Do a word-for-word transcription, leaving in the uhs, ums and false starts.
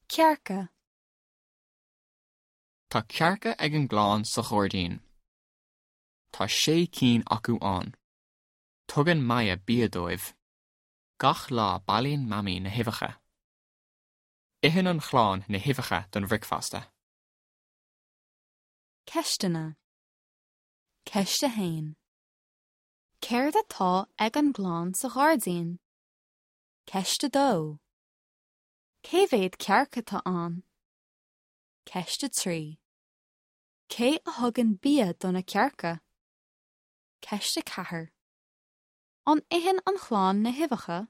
Cearca. Tá cearca ag an gclann sa ghairdín. Tá sé cinn acu ann. Tugann Maya bia dóibh. Gach lá bailíonn Mamaí na huibheacha. Itheann an chlann na huibheacha don bhricfeasta. Ceisteanna. Ceist a haon. Céard atá ag an gclann sa ghairdín? Ceist a dó. Cé mhéad cearc atá ann? Ceist a trí. Cé a thugann bia do na cearca? Ceist a ceathair. An itheann an chlann na huibheacha?